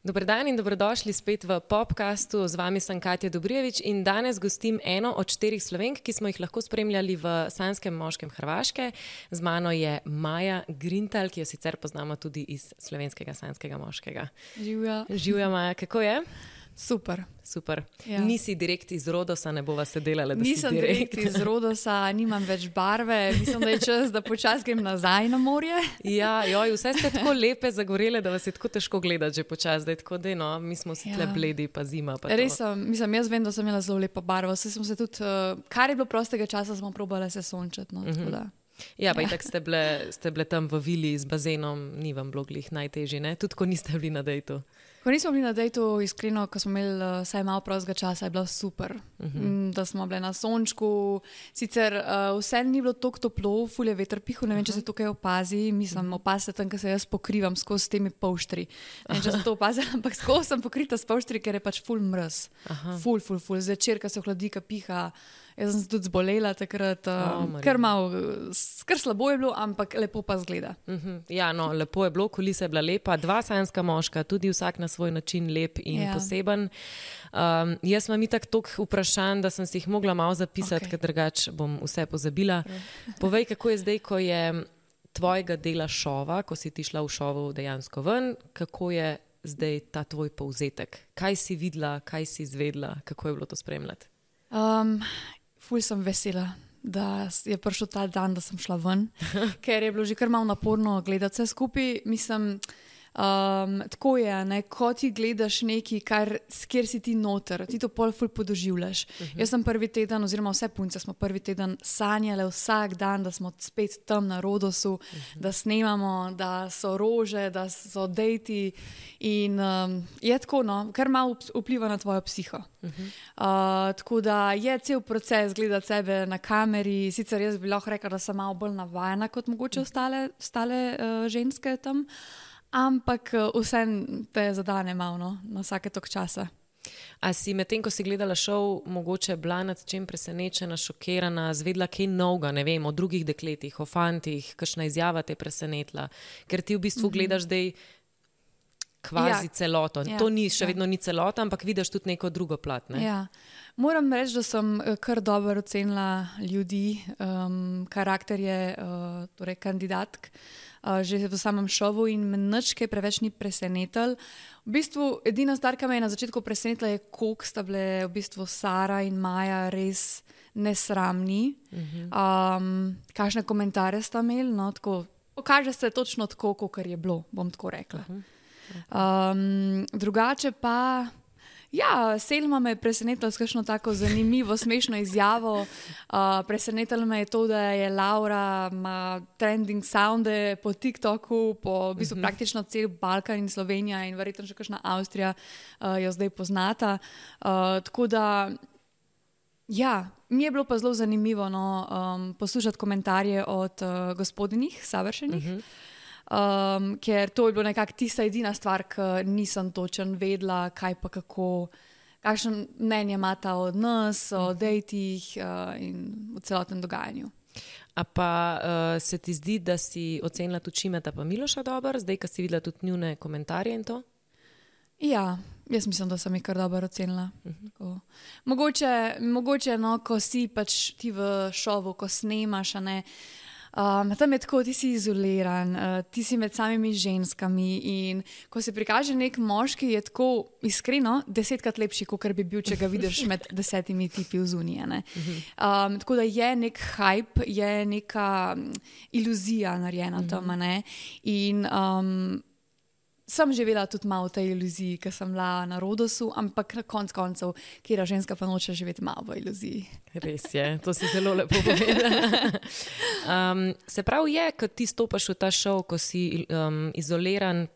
Dober dan in dobrodošli spet v Popcastu. Z vami sem Katja Dobrijevič in danes gostim eno od 4 Slovenk, ki smo jih lahko spremljali v Sanskem moškem Hrvaške. Z mano je Maja Grintal, ki jo sicer poznamo tudi iz slovenskega Sanskega moškega. Živja. Živja, Maja, kako je? Super. Super. Ja. Nisi direkt iz Rodosa, ne bova se delala, da Nisem si direkt. iz Rodosa, nimam več barve, mislim, da je čas, da počasi grem nazaj na morje. Ja, joj, vse ste tako lepe zagorele, da vas je tako težko gledati že počasi, da je tako, da no, mi smo si tle bledi, pa zima. Pa res sem, mislim, jaz vem, da sem imela zelo lepo barvo, saj sem se tudi, kar je bilo prostega časa, smo probali se sončati, no, tako da. Ja, pa itak ste bile tam v vili z bazenom, ni vam bilo glih najtežje, ne? Tudi ko niste bili na dejtu. Ko nismo bili na dejtu, iskreno, ko smo imeli vsaj malo prostega časa, je bilo super, da smo bile na sončku. Sicer vse ni bilo toliko toplo, ful je veter pihal, ne vem, če se tukaj opazi, mislim, opazite tam, ker se jaz pokrivam skozi temi polštri. Ne vem, če se to opazila, ampak skozi sem pokrita s polštri, ker je pač ful mraz. Ful. Zvečer, ko se ohladi, ko piha. Jaz sem se tudi zbolela takrat, kar slabo je bilo, ampak lepo pa zgleda. Ja, no, lepo je bilo, kulisa je bila lepa, 2 sanska moška, tudi vsak na svoj način lep in poseben. Jaz imam itak toliko vprašanj, da sem si jih mogla malo zapisati, ker drugače bom vse pozabila. Povej, kako je zdaj, ko je tvojega dela šova, ko si ti šla v šovu dejansko ven, kako je zdaj ta tvoj povzetek? Kaj si videla, kaj si izvedela, kako je bilo to spremljati? Ful sem vesela, da je prišel ta dan, da sem šla ven, ker je bilo že kar malo naporno gledati vse skupaj. Mislim, tako je, ne, ko ti gledaš nekaj, kjer si ti noter, ti to pol ful podoživljaš. Jaz sem prvi teden, oziroma vse punce smo prvi teden sanjale vsak dan, da smo spet tam na Rodosu, da snemamo, da so rože, da so dejti in je tako, no, kar malo vpliva na tvojo psiho. Tako da je cel proces gledati sebe na kameri, sicer jaz bi lahko rekla, da sem malo bolj navajena kot mogoče ostale ženske tam, ampak vse te zadane malo, na vsake tok časa. A si medtem, ko si gledala šov, mogoče bila nad čem presenečena, šokirana, zvedla kaj novega, ne vem, o drugih dekletih, o fantih, kakšna izjava te presenetila, ker ti v bistvu gledaš zdaj kvazi celoto. To ni, še vedno ni celota, ampak vidiš tudi neko drugo plat, ne? Ja. Moram reči, da sem kar dobro ocenila ljudi, karakterje, torej kandidatk, že v samem šovu in me nič kaj preveč ni presenetil. V bistvu edina stvar, ki me je na začetku presenetila, je koliko sta bile v bistvu Sara in Maja res nesramni. Kakšne komentarje sta imeli, no, tako, pokaže se točno tako, kakor je bilo, bom tako rekla. Drugače pa, ja, Selma me je presenetila s kakšno tako zanimivo, smešno izjavo. Presenetilo me je to, da je Laura ima trending sounde po TikToku, po v bistvu praktično cel Balkan in Slovenija in verjetno še kakšna Avstrija jo zdaj poznata. Tako da, ja, mi je bilo pa zelo zanimivo, no, poslušati komentarje od gospodinih, savršenih. Ker to je bilo nekako tista edina stvar, ki nisem točno vedela, kaj pa kako, kakšno mnenje imata od nas, o dejtih in o celotnem dogajanju. A pa se ti zdi, da si ocenila tudi Šimeta pa Miloša dobro, zdaj, ko si videla tudi njune komentarje in to? Ja, jaz mislim, da sem jih kar dobro ocenila. Mogoče, no, ko si pač ti v šovu, ko snemaš, a ne, tam je tako, ti si izoliran, ti si med samimi ženskami in ko se prikaže nek moški, je tako iskreno 10-krat lepši, kot bi bil, če ga vidiš med 10 tipi vzunije. Tako da je nek hype, je neka iluzija narejena tam, ne? In sem živela tudi malo v tej iluziji, ker sem bila na Rodosu, ampak na koncu, kjera ženska pa noče živeti malo v iluziji. Res je, to si zelo lepo povedala. Se pravi je, ko ti stopaš v ta šov, ko si izoliran,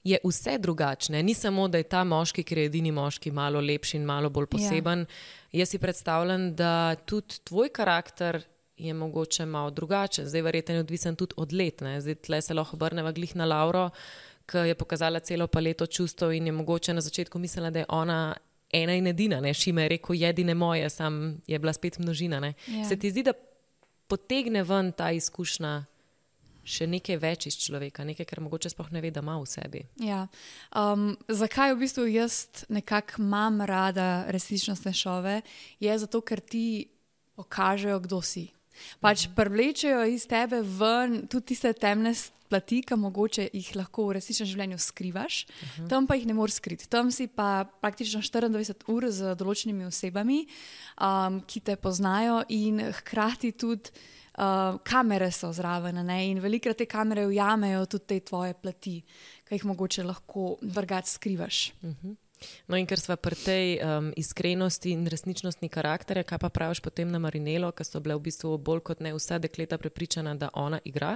je vse drugačne. Ni samo, da je ta moški, ker je edini moški, malo lepši in malo bolj poseben. Jaz si predstavljam, da tudi tvoj karakter je mogoče malo drugačen. Zdaj verjetno je odvisen tudi od let, ne? Zdaj tle se lahko obrneva glih na Lauro, ki je pokazala celo paleto čustev in je mogoče na začetku mislila, da je ona ena in edina, ne? Šime je rekel, jedine moje, sam je bila spet množina, ne? Se ti zdi, da potegne ven ta izkušnja še nekaj več iz človeka, nekaj, kar mogoče sploh ne ve, da ima v sebi. Ja. Zakaj v bistvu jaz nekako imam rada resničnostne šove, je zato, ker ti pokažejo, kdo si. Pač privlečejo iz tebe ven tudi tiste temne plati, ki mogoče jih lahko v resničnem življenju skrivaš, tam pa jih ne moreš skriti. Tam si pa praktično 24 ur z določenimi osebami, ki te poznajo in hkrati tudi kamere so zraven, ne? In velikokrat te kamere ujamejo tudi te tvoje plati, ki jih mogoče lahko drugače skrivaš. No in ker sva pri tej iskrenosti in resničnostni karakterja, kaj pa praviš potem na Marinelo, ki so bile v bistvu bolj kot ne vsa dekleta prepričana, da ona igra?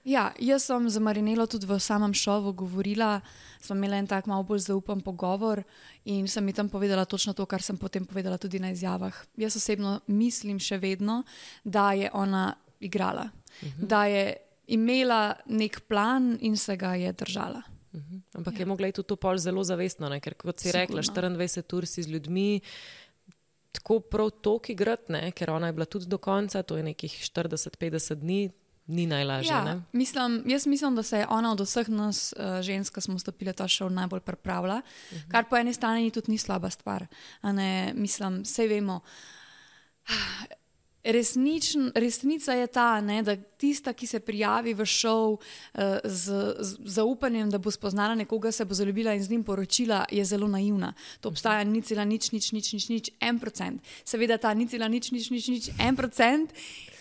Ja, jaz sem za Marinelo tudi v samem šovu govorila, smo imeli en tak malo bolj zaupen pogovor in sem mi tam povedala točno to, kar sem potem povedala tudi na izjavah. Jaz osebno mislim še vedno, da je ona igrala, da je imela nek plan in se ga je držala. Ampak je mogla iti tudi to pol zelo zavestno, ne? Ker kot si rekla, 24 ur si z ljudmi tako prav toliko igrati, ne? Ker ona je bila tudi do konca, to je nekih 40-50 dni, ni najlažje. Ja, ne? Jaz mislim, da se je ona od vseh nas žensk, ki smo vstopili ta šov, najbolj pripravila, kar po eni strani tudi ni slaba stvar. Mislim, sej vemo, resnica je ta, ne, da tista, ki se prijavi v šov z zaupanjem, da bo spoznala nekoga, se bo zaljubila in z njim poročila, je zelo naivna. To obstaja 0,00001%. Seveda ta 0,00001%,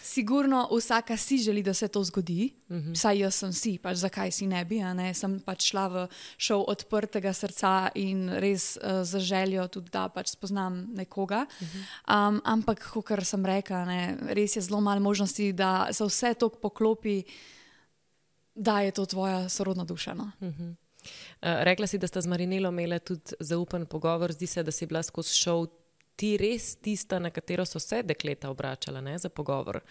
sigurno vsaka si želi, da se to zgodi, saj jaz sem si, pač zakaj si ne bi, ne? Sem pač šla v šov odprtega srca in res za željo tudi, da pač spoznam nekoga. Ampak, kakor sem rekla, ne, res je zelo malo možnosti, da se vse to poklopi, da je to tvoja sorodna duša. No? Rekla si, da sta z Marinelo imela tudi zaupen pogovor, zdi se, da si bila skozi šov ti res tista, na katero so se dekleta obračala, ne, za pogovor.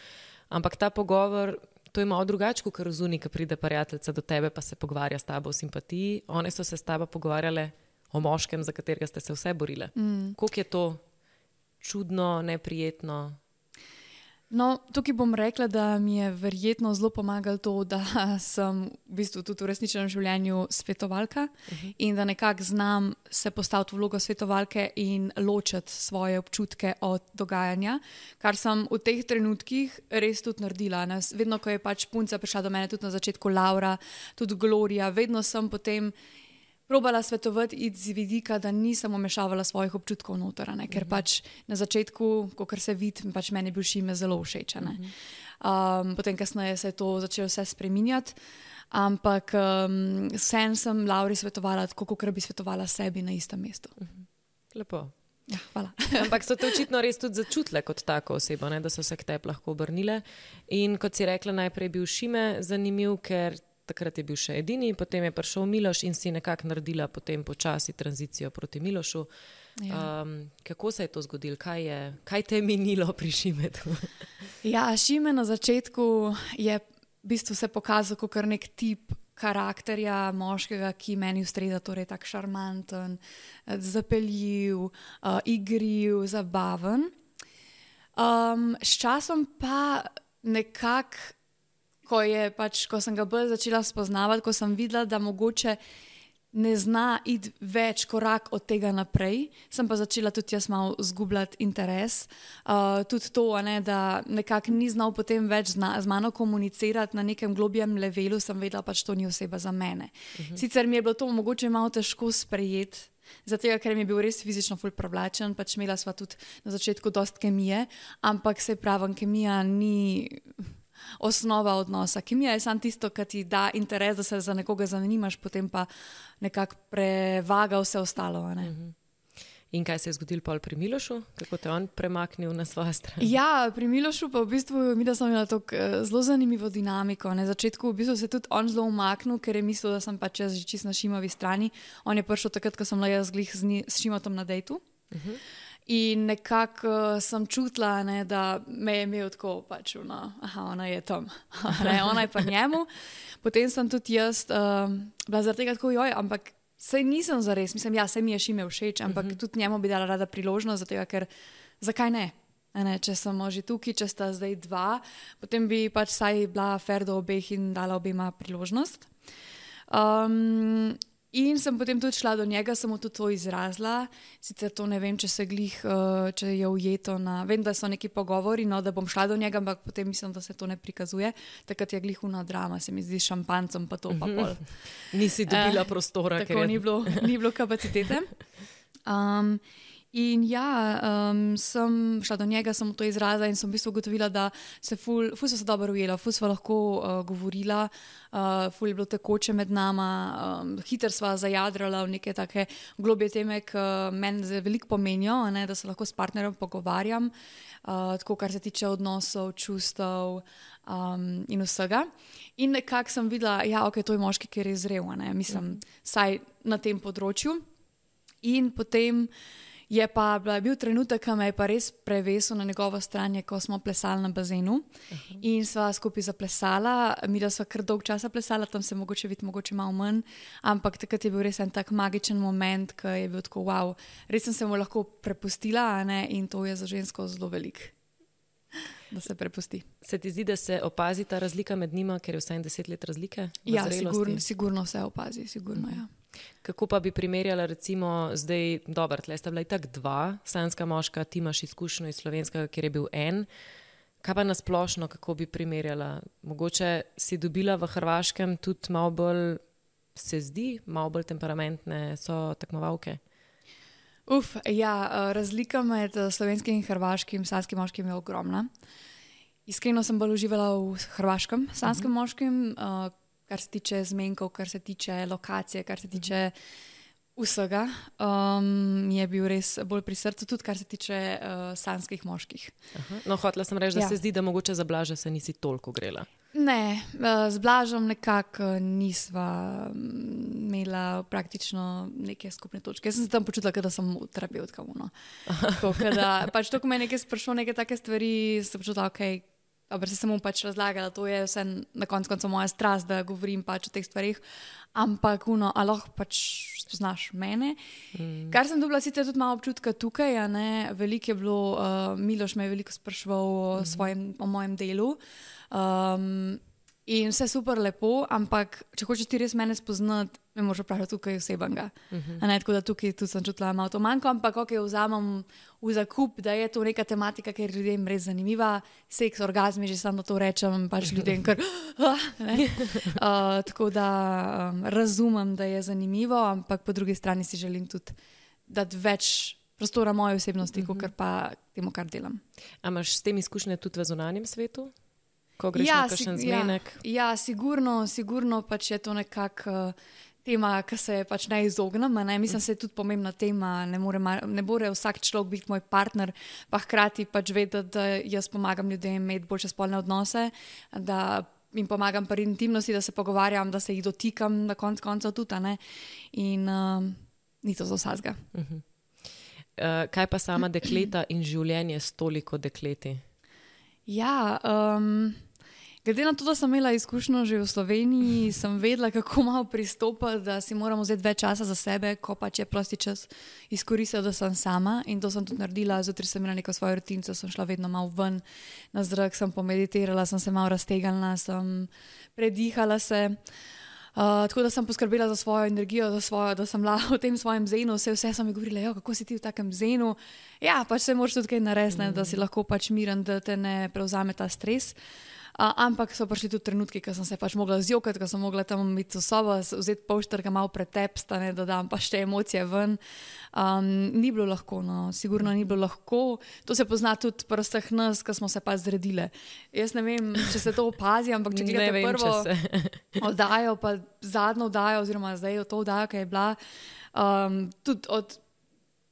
Ampak ta pogovor, to je malo drugače, kot razuni, ko pride prijateljica do tebe, pa se pogovarja s tabo o simpatiji. One so se s tabo pogovarjale o moškem, za katerega ste se vse borile. Koliko je to čudno, neprijetno? No, tukaj bom rekla, da mi je verjetno zelo pomagalo to, da sem v bistvu tudi v resničnem življenju svetovalka in da nekako znam se postaviti v vlogo svetovalke in ločiti svoje občutke od dogajanja, kar sem v teh trenutkih res tudi naredila. Vedno, ko je pač punca prišla do mene, tudi na začetku Laura, tudi Gloria, vedno sem potem probala svetovati iz vidika, da nisem vmešavala svojih občutkov noter, ker pač na začetku, kakor se vidi, pač meni je bil Šime zelo všeč. Potem kasneje se je to začelo vse spreminjati, ampak vsem sem Lauri svetovala tako, kakor bi svetovala sebi na istem mestu. Lepo. Ja, hvala. Ampak so te očitno res tudi začutile kot tako osebo, ne? Da so se k tebi lahko obrnile. In kot si rekla, najprej je bil Šime zanimiv, ker takrat je bil še edini, potem je prišel Miloš in si nekako naredila potem počasi tranzicijo proti Milošu. Ja. Kako se je to zgodilo? Kaj te je minilo pri Šimetu? Ja, Šime na začetku je v bistvu se pokazal kot nek tip karakterja moškega, ki meni ustreza, torej tak šarmanten, zapeljiv, igriv, zabaven. S časom pa nekako ko sem ga bolj začela spoznavati, ko sem videla, da mogoče ne zna iti več korak od tega naprej, sem pa začela tudi jaz malo zgubljati interes. Tudi to, da nekako ni znal potem več z mano komunicirati na nekem globjem levelu, sem vedela, pač to ni oseba za mene. Sicer mi je bilo to mogoče malo težko sprejeti, zato ker mi je bil res fizično ful privlačen, pač imela sva tudi na začetku dost kemije, ampak se pravim, kemija ni osnova odnosa. Kemija je samo tisto, kar ti da interes, da se za nekoga zanimaš, potem pa nekako prevaga vse ostalo. In kaj se je zgodilo pol pri Milošu? Kako te on premaknil na svojo stran? Ja, pri Milošu pa v bistvu mi da sem imela zelo zanimivo dinamiko. Na začetku v bistvu se tudi on zelo umaknil, ker je mislil, da sem pač jaz že čisto na Šimovi strani. On je prišel takrat, ko sem bila jaz glih s Šimotom na dejtu. In nekako sem čutila, da me je imel tako, pač, ona je tam, ona je pa njemu. Potem sem tudi jaz bila zaradi tega tako, ampak sej nisem zares, mislim, sej mi je Šime všeč, ampak tudi njemu bi dala rada priložnost, zato ker, zakaj ne? Ne, če smo že tukaj, če sta zdaj dva, potem bi pač saj bila fair do obeh in dala obema priložnost. In sem potem tudi šla do njega, sem mu tudi to izrazila. Sicer to ne vem, če se glih, če je ujeto na... Vem, da so neki pogovori, no, da bom šla do njega, ampak potem mislim, da se to ne prikazuje. Takrat je glihuna drama, se mi zdi s šampancem, pa to pa pol. Nisi dobila prostora. Tako ni bilo kapacitete. In sem šla do njega, sem mu to izrazila in sem v bistvu ugotovila, da se ful so se dobro ujela, ful sva lahko govorila, ful je bilo tekoče med nama, hitro sva zajadrala v neke take globje teme, ki meni veliko pomenijo, ne, da se lahko s partnerjem pogovarjam, tako kar se tiče odnosov, čustev in vsega. In nekako sem videla, to je moški, ki je res zrel, ne, mislim, saj na tem področju. In potem je pa bil trenutek, ki me je pa res prevesil na njegovo stran, ko smo plesali na bazenu. In sva skupaj zaplesala, mi da sva kar dolg časa plesala, tam se mogoče vidi, mogoče malo manj, ampak takrat je bil res en tak magičen moment, ki je bil tako wow, res sem se mu lahko prepustila, ne? In to je za žensko zelo velik, da se prepusti. Se ti zdi, da se opazi ta razlika med njima, ker je vsaj 10 let razlike? Ja, sigurno se opazi, sigurno, ja. Kako pa bi primerjala recimo zdaj, dobro, tle sta bila itak dva, sanjska moška, ti imaš izkušnjo iz slovenskega, kjer je bil en. Kaj pa nasplošno, kako bi primerjala? Mogoče si dobila v Hrvaškem tudi malo bolj, se zdi, malo bolj temperamentne so tekmovalke? Razlika med slovenskim in hrvaškim sanjskim moškim je ogromna. Iskreno sem bolj uživala v hrvaškem sanjskem moškim, kar se tiče zmenkov, kar se tiče lokacije, kar se tiče vsega, je bil res bolj pri srcu, tudi kar se tiče sanjskih moških. No, hotela sem reči, da se zdi, da mogoče za Blaža se nisi toliko grela. Ne, z Blažom nekako nisva imela praktično neke skupne točke. Jaz sem se tam počutila, da sem terapeutka. Pač to, ko me nekaj sprašal, neke take stvari, sem počutila, dobro, se sem mu pač razlagala, to je vse na koncu moja strast, da govorim pač o teh stvarih, ampak lahko pač spoznaš mene. Kar sem dobila sicer tudi malo občutka tukaj, veliko je bilo, Miloš me je veliko spraševal o mojem delu, in vse super lepo, ampak če hočeš ti res mene spoznati, me moraš vprašati tukaj osebnega. Tako da tukaj tudi sem čutila malo to manjko, ampak vzamem v zakup, da je to neka tematika, ker je ljudem res zanimiva. Seks, orgazmi, že sam da to rečem, pač ljudem kar... Tako da razumem, da je zanimivo, ampak po drugi strani si želim tudi dati več prostora moje osebnosti, kot pa temu, kar delam. A imaš s tem izkušnje tudi v zunanjem svetu? Ko greš na kakšen zmenek? Ja, sigurno pač je to nekako tema, ki se pač ne izognem. Mislim, se je tudi pomembna tema. Ne more vsak človek biti moj partner, pa hkrati pač vedeti, da jaz pomagam ljudem imeti boljše spolne odnose, da jim pomagam pri intimnosti, da se pogovarjam, da se jih dotikam na koncu tudi. In ni to za vsakega. Kaj pa sama dekleta in življenje s toliko dekleti? Ja, glede na to, da sem imela izkušnjo že v Sloveniji, sem vedela, kako malo pristopati, da si moramo vzeti več časa za sebe, ko pač je prosti čas izkoristila, da sem sama, in to sem tudi naredila. Zjutraj sem imela neko svojo rutinco, sem šla vedno malo ven na zrak, sem pomeditirala, sem se malo raztegnila, sem predihala se. Tako da sem poskrbela za svojo energijo, da sem bila v tem svojem zenu, vse so mi govorili, kako si ti v takem zenu. Ja, pač se moraš tudi kaj narediti, da si lahko pač miren, da te ne prevzame ta stres. Ampak so prišli tudi trenutki, ko sem se pač mogla zjokati, ko sem mogla tam biti v sobo, vzeti polštrga, malo pretepsta, da dam pa še emocije ven. Ni bilo lahko, sigurno ni bilo lahko. To se pozna tudi pri vseh nas, ko smo se pa zredile. Jaz ne vem, če se to opazi, ampak če gledate prvo oddajo, pa zadnjo oddajo, oziroma zdaj to oddajo, ki je bila, tudi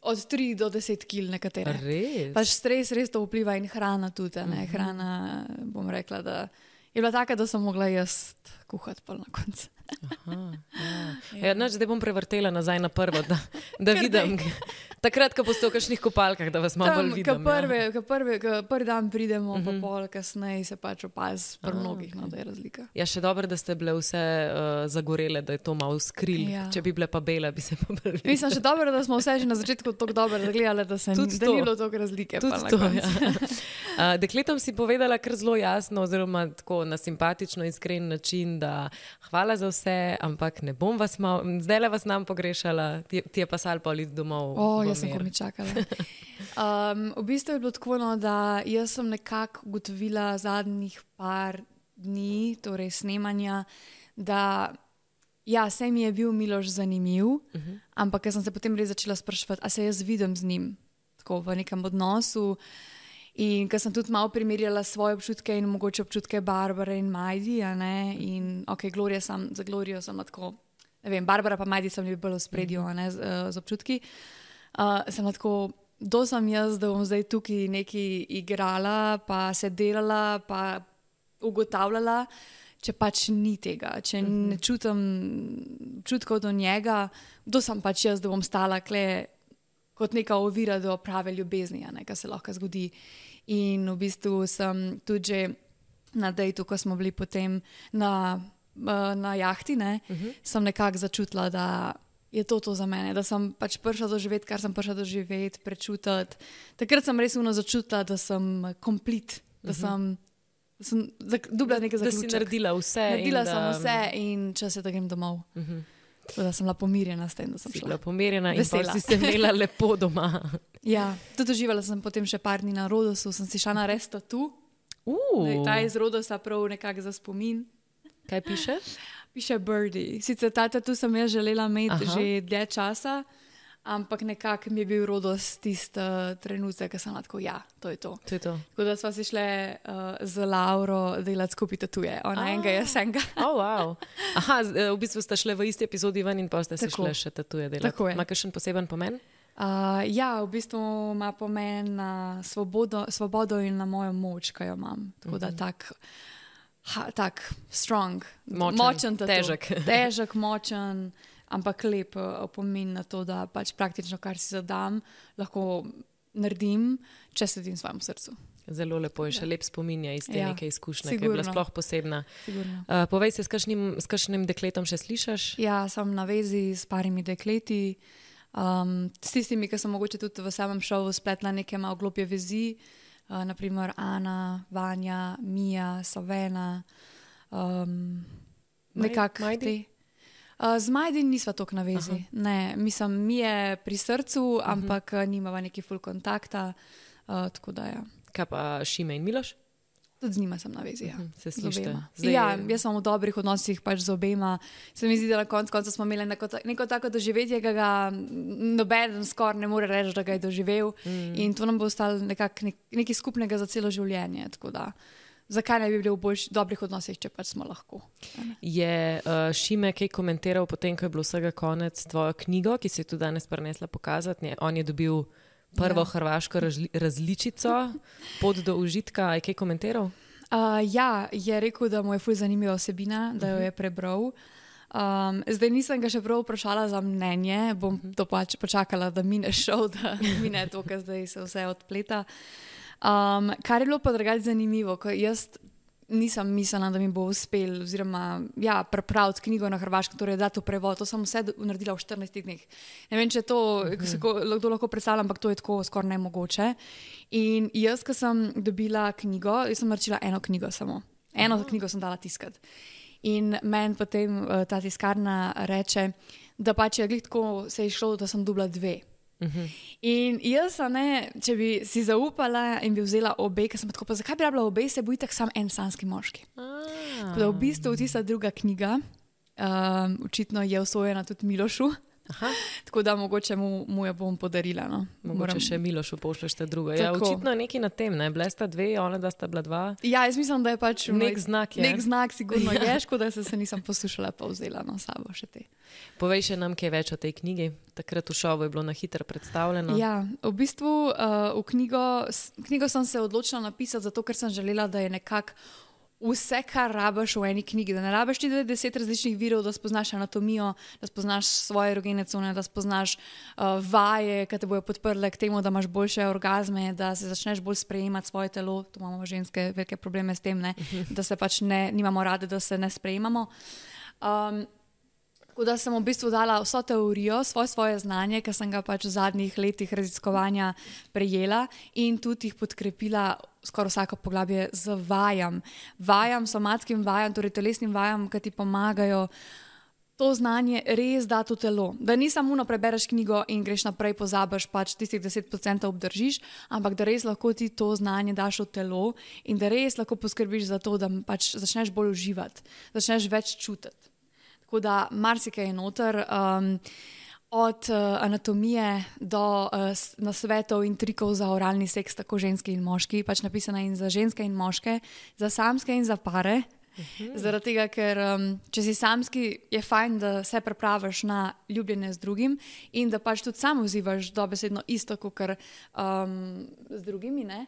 od 3 do 10 kil nekatere. Res? Pač stres res to vpliva in hrana tudi. Hrana, bom rekla, da je bila taka, da sem mogla jaz skuhati pol na koncu. Zdaj bom prevrtela nazaj na prvo, da vidim. Takrat, ko boste v kakšnih kopalkah, da vas malo bolj vidim. Prvi dan pridemo, pa pol kasneje se pač opazi pri mnogih, da je razlika. Ja, še dobro, da ste bile vse zagorele, da je to malo skril. Ja. Če bi bile pa bele, bi se pa bolj videli. Mislim, še dobro, da smo vse že na začetku tako dobro gledali, da ni bilo toliko razlike. Dekletom si povedala kar zelo jasno, oziroma tako na simpatično, iskren način, da hvala za vse, ampak ne bom vas zdajle vas nam pogrešala, ti je pa sal pa iti domov. Jaz sem komi čakala. V bistvu je bilo tako, da jaz sem nekako ugotovila zadnjih par dni, torej snemanja, da ja, se mi je bil Miloš zanimiv, ampak jaz sem se potem res začela spraševati, a se jaz vidim z njim tako v nekem odnosu. In ker sem tudi malo primerjala svoje občutke in mogoče občutke Barbare in Majdi, in za Glorijo sem tako, ne vem, Barbara pa Majdi sem bolj v spredju, z občutki. Sem tako, kdo sem jaz, da bom zdaj tukaj nekaj igrala, pa se delala, pa ugotavljala, če pač ni tega, če ne čutim občutkov do njega, kdo sem pač jaz, da bom stala kle kot neka ovira do prave ljubezni, kar se lahko zgodi. In v bistvu sem tudi že na dejtu, ko smo bili potem na jahti, sem nekako začutila, da je to za mene, da sem pač prišla doživeti, kar sem prišla doživeti, prečutiti. Takrat sem res začutila, da sem komplet, da sem dobila nekaj zaključek. Da si naredila vse. Naredila sem vse in čas je, da grem domov. Da sem bila pomirjena s tem, da sem šla. Si bila pomirjena in pa si se imela lepo doma. Ja, tudi doživala sem potem še par dni na Rodosu, sem si šla na res tatu. Ta iz Rodosa prav nekako za spomin. Kaj piše? Piše Birdie. Sicer ta tatu sem jaz želela imeti že dlje časa, ampak nekako mi je bil Rodos tisti trenutek, ko sem lahko, to je to. Tako da sva si šle z Lauro delati skupaj tatuje. Ona enega, jaz enega. Wow. V bistvu sta šle v isti epizodi ven in pa ste se šle še tatuje delati. Tako je. Ima kakšen poseben pomen? V bistvu ima pomen na svobodo in na mojo moč, ki jo imam. Tako da tak strong, močen tatu. Težek, močen, ampak lep opomin na to, da pač praktično, kar si zadam, lahko naredim, če sledim svojemu srcu. Zelo lepo je, še lep spomin je iz te neke izkušnje, ki je bila sploh posebna. Povej se, s kakšnim dekletom še slišaš? Ja, sem na vezi s parimi dekleti, s tistimi, ki sem mogoče tudi v samem šovu spletla neke malo globje vezi, naprimer Ana, Vanja, Mija, Savena, nekako te. Z Majdi nisva toliko na vezi. Ne, mislim, mi je pri srcu, ampak nimava neki full kontakta, tako da ja. Kaj pa Šime in Miloš? Tudi z njima sem na vezi, ja. Se slišite? Ja, jaz sem v dobrih odnosih pač z obema. Se mi zdi, da na koncu smo imeli neko tako doživetje, ki ga nobeden skoraj ne more reči, da ga je doživel. In to nam bo ostalo nekaj skupnega za celo življenje. Tako da, zakaj ne bi bili v dobrih odnosih, če pač smo lahko. Je Šime kaj komentiral potem, ko je bilo vsega konec, tvojo knjigo, ki si je tudi danes prinesla pokazati? On je dobil prvo hrvaško različico, Pot do užitka. Je kaj komentiral? Je rekel, da mu je ful zanimiva vsebina, da jo je prebral. Zdaj nisem ga še prav vprašala za mnenje, bom to pač počakala, da mine šov, da mine to, ker zdaj se vse odpleta. Kar je bilo pa drugače zanimivo, ko jaz nisem mislila, da mi bo uspel, oziroma pripraviti knjigo na hrvaškem, torej dati v prevod. To sem vse naredila v 14 dneh. Ne vem, če je to, kdo lahko predstavlja, ampak to je tako skoraj nemogoče. In jaz, ko sem dobila knjigo, jaz sem naročila eno knjigo samo. Eno knjigo sem dala tiskati. In meni potem ta tiskarna reče, da pač je glih tako se je šlo, da sem dobila 2. In jaz, če bi si zaupala in bi vzela obe, ker sem tako, pa zakaj bi rabila obe, se bo itak sam en sanski moški. Tako da v bistvu tista druga knjiga očitno je usvojena tudi Milošu. Tako da mogoče mu jo bom podarila. Mogoče še Milošu pošleš ta druga. Ja, očitno nekaj na tem, Bile sta 2, ona da sta bila 2. Ja, jaz mislim, da je pač nek znak je. Nek znak sigurno je, škoda se nisem poslušala pa vzela sabo še te. Povej še nam kaj več o tej knjigi. Takrat v šovu je bilo na hitro predstavljeno. Ja, v bistvu knjigo sem se odločila napisati zato, ker sem želela, da je nekako vse, kar rabiš v eni knjigi. Da ne rabiš ti 10 različnih virov, da spoznaš anatomijo, da spoznaš svoje erogene cone, da spoznaš vaje, ki te bojo podprle k temu, da imaš boljše orgazme, da se začneš bolj sprejemati svoje telo. Tu imamo ženske velike probleme s tem, ne? Da se pač nimamo rade, da se ne sprejemamo. Tako da sem v bistvu dala vso teorijo, svoje znanje, ki sem ga pač v zadnjih letih raziskovanja prejela in tudi jih podkrepila skoraj vsako poglavje z vajam, somatskim vajam, torej telesnim vajam, ki ti pomagajo to znanje res dati v telo. Da ni samo prebereš knjigo in greš naprej, pozabiš, pač tistih 10% obdržiš, ampak da res lahko ti to znanje daš v telo in da res lahko poskrbiš za to, da pač začneš bolj uživati, začneš več čutiti. Tako da marsikaj je noter, od anatomije do nasvetov in trikov za oralni seks, tako ženski in moški, pač napisana in za ženske in moške, za samske in za pare. Zaradi tega, ker če si samski, je fajn, da se pripraviš na ljubljenje z drugim in da pač tudi sam vzivaš dobesedno isto, kot z drugimi, ne?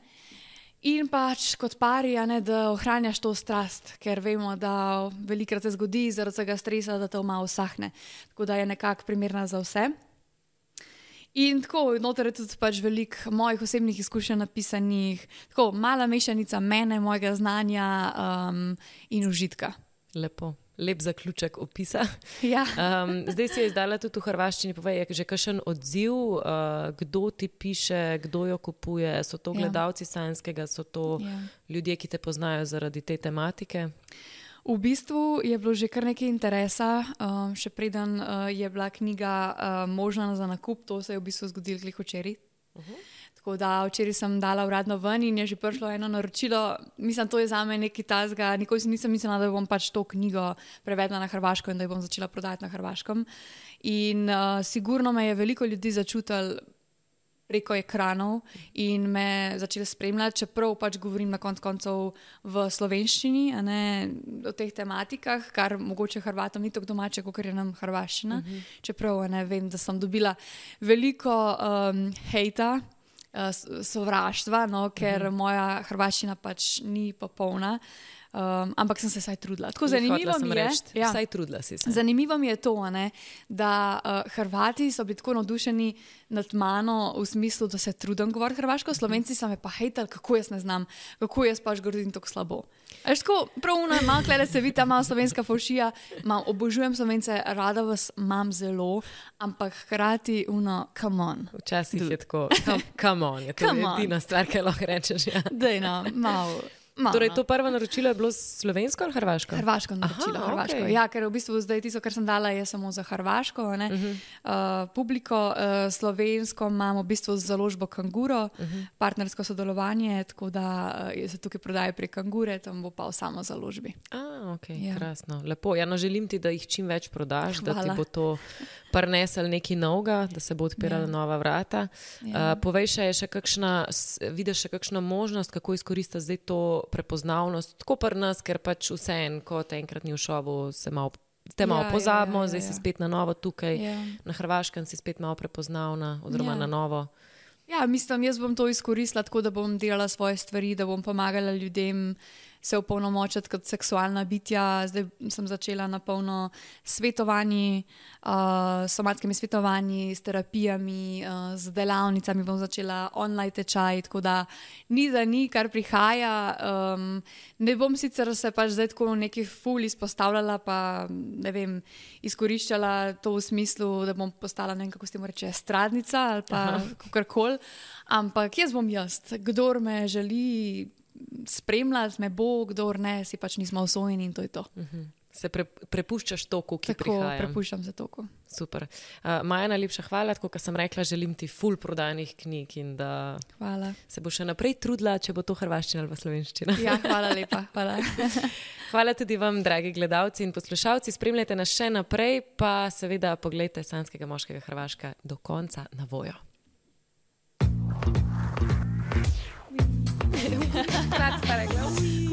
In pač kot pari, da ohranjaš to strast, ker vemo, da velikrat se zgodi zaradi tega stresa, da te malo usahne. Tako da je nekako primerna za vse. In tako, noter je tudi pač veliko mojih osebnih izkušenj napisanih, tako mala mešanica mene, mojega znanja in užitka. Lepo. Lep zaključek opisa. Ja. Zdaj si je izdala tudi v hrvaščini. Povej, je že kakšen odziv, kdo ti piše, kdo jo kupuje? So to gledalci Sanskega, so to ljudje, ki te poznajo zaradi te tematike? V bistvu je bilo že kar nekaj interesa, še preden je bila knjiga možna za nakup, to se je v bistvu zgodilo glih včeraj. Tako da včeraj sem dala uradno ven in je že prišlo eno naročilo. Mislim, to je zame nekaj tazga. Nikoli si nisem mislila, da bom pač to knjigo prevedla na hrvaško in da jo bom začela prodajati na hrvaškem. In sigurno me je veliko ljudi začutilo preko ekranov in me začeli spremljati, čeprav pač govorim na koncu v slovenščini, a ne o teh tematikah, kar mogoče Hrvatom ni tako domače, kot je nam hrvaščina. Čeprav vem, da sem dobila veliko hejta, sovraštva, ker moja hrvaščina pač ni popolna. Ampak sem se vsaj trudila. Tako zanimivo mi je, vsaj trudila si se. Zanimivo mi je to, da Hrvati so bili tako navdušeni nad mano v smislu, da se trudim govoriti hrvaško, Slovenci so me pa hejtali, kako jaz ne znam, kako jaz pač govorim tako slabo. Tako, prav malo klede se vidi ta malo slovenska fovšija, obožujem Slovence, rada vas imam zelo, ampak hkrati come on. Včasih je tako, come on, je to edina stvar, kaj lahko rečeš. Ja. Dej malo. Torej, to prvo naročilo je bilo slovensko ali hrvaško? Hrvaško naročilo, hrvaško. Okay. Ja, ker v bistvu zdaj tisto, kar sem dala, je samo za hrvaško publiko. Slovensko imamo v bistvu založbo Kanguro, partnersko sodelovanje, tako da se tukaj prodaja pri Kangure, tam bo pa v samo založbi. Ok, krasno. Lepo. Ja, no, želim ti, da jih čim več prodaš, da ti bo to prinesel nekaj novega, da se bo odpirala nova vrata. Povej še kakšna, vidiš še kakšno možnost, kako izkoristiti zdaj to prepoznavnost, tako pri nas, ker pač vseeno, ko te enkrat ni v šovu, se te malo pozabimo, zdaj si spet na novo tukaj, na Hrvaškem si spet malo prepoznavna, oziroma na novo. Ja, mislim, jaz bom to izkoristila tako, da bom delala svoje stvari, da bom pomagala ljudem se opolnomočiti kot seksualna bitja. Zdaj sem začela na polno svetovanji, somatskimi svetovanji, s terapijami, z delavnicami bom začela online tečaj, tako da ni, kar prihaja. Ne bom sicer se pač zdaj tako nekaj ful izpostavljala, pa ne vem, izkoriščala to v smislu, da bom postala, ne vem, kako se temu reče, estradnica ali pa kakorkoli, ampak jaz bom jaz. Kdor me želi spremljati, me bo, kdor ne, si pač nismo usvojeni in to je to. Se prepuščaš toku, ki prihaja. Tako, prepuščam se toku. Super. Maja, najlepša hvala, tako kot sem rekla, želim ti ful prodajnih knjig in da se bo še naprej trudila, če bo to hrvaščina ali pa slovenščina. Ja, hvala lepa. Hvala. Hvala tudi vam, dragi gledalci in poslušalci. Spremljajte nas še naprej, pa seveda poglejte Sanskega moškega Hrvaška do konca na vojo. Kratko pa rekla.